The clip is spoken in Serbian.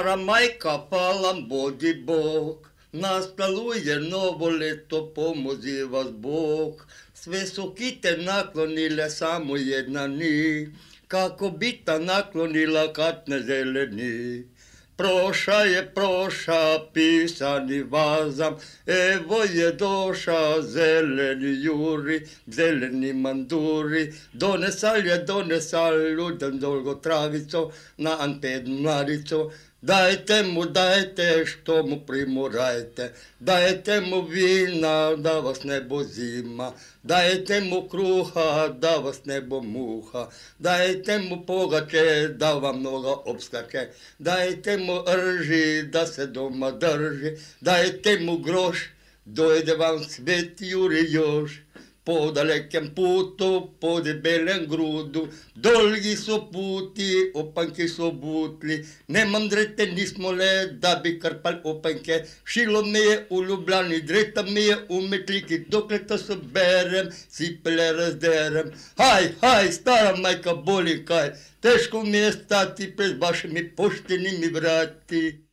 Stara majka, hvala bodi Bog, nastaluje novo leto, pomozi vas Bog. Sve su kite naklonile, samo jedna ni, kako bi ta naklonila kad ne zeleni. Proša, pisani vazam, evo je doša, zeleni juri, zeleni manduri, donesal, ljudem dolgo travico, na antenu mladico. Dajte mu, dajte, što mu primorajte, dajte mu vina, da vas ne bo zima, dajte mu kruha, da vas ne bo muha, dajte mu pogače, da vam noga obskače, dajte mu rži, da se doma drži, dajte mu groš, dojde vam svet juri još. Po dalekem putu, po debelem grudu, dolgi su puti, opanke su butli, ne mandrete nismo le, da bi krpali opanke, šilo me je u Ljubljani, dreta me je u Metliki, dokle to soberem, cipele razderem. Haj, stara majka boli kaj, teško mi je stati pred vašimi poštenimi vrati.